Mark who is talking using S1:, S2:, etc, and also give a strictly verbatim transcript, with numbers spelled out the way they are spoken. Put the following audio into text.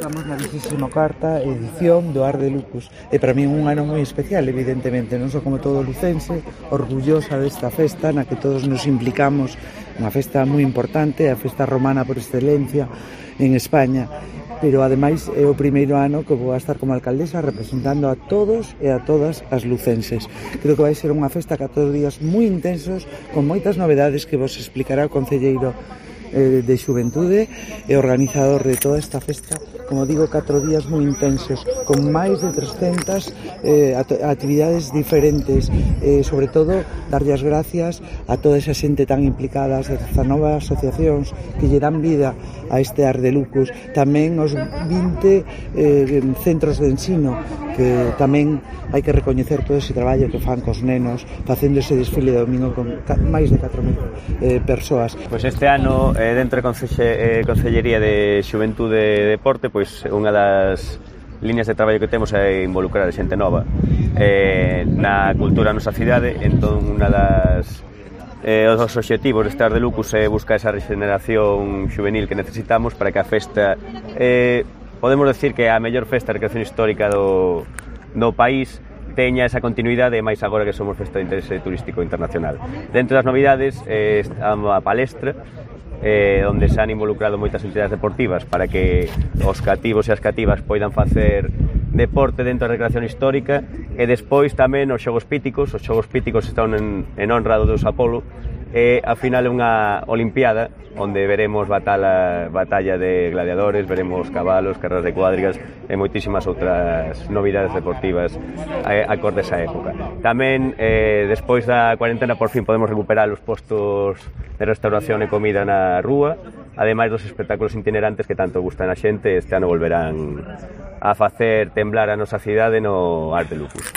S1: Estamos na vigésima cuarta edición do Ar de Lucus e para mí é un ano moi especial, evidentemente, non só como todo lucense, orgullosa desta festa na que todos nos implicamos, unha festa moi importante, a festa romana por excelencia en España, pero ademais é o primeiro ano que vou a estar como alcaldesa representando a todos e a todas as lucenses. Creo que vai ser unha festa catro días moi intensos, con moitas novedades que vos explicará o concelleiro de Xuventude e organizador de toda esta festa, como digo, catro días moi intensos, con máis de trescentas eh, actividades diferentes, eh, sobre todo darlle as gracias a toda esa xente tan implicada, as dezanove asociacións que lle dan vida a este Ar de Lucus, tamén os vinte eh, centros de ensino que tamén hai que recoñecer todo ese traballo que fan cos nenos facendo ese desfile de domingo con máis de catro mil eh, persoas.
S2: Pois este ano, eh, dentro da Conce- eh, Concellería de Xuventude e Deporte, pois unha das líneas de traballo que temos é involucrar a xente nova eh, na cultura da nosa cidade. Entón, unha das eh, os obxectivos deste Ar de Lucus é buscar esa regeneración juvenil que necesitamos para que a festa eh, podemos decir que a mellor festa de recreación histórica do, do país teña esa continuidade, máis agora que somos festa de interese turístico internacional. Dentro das novidades eh, está a palestra eh, onde se han involucrado moitas entidades deportivas para que os cativos e as cativas poidan facer deporte dentro da recreación histórica, e despois tamén os xogos píticos. Os xogos píticos están en, en honra do deus Apolo, e ao final é unha olimpiada onde veremos batalla, batalla de gladiadores, veremos cabalos, carreras de cuadrigas e moitísimas outras novidades deportivas acordes a época. Tamén, eh, despois da cuarentena, por fin podemos recuperar os postos de restauración e comida na rúa, ademais dos espectáculos itinerantes que tanto gustan a xente. Este ano volverán a facer temblar a nosa cidade no Ar de Lucus.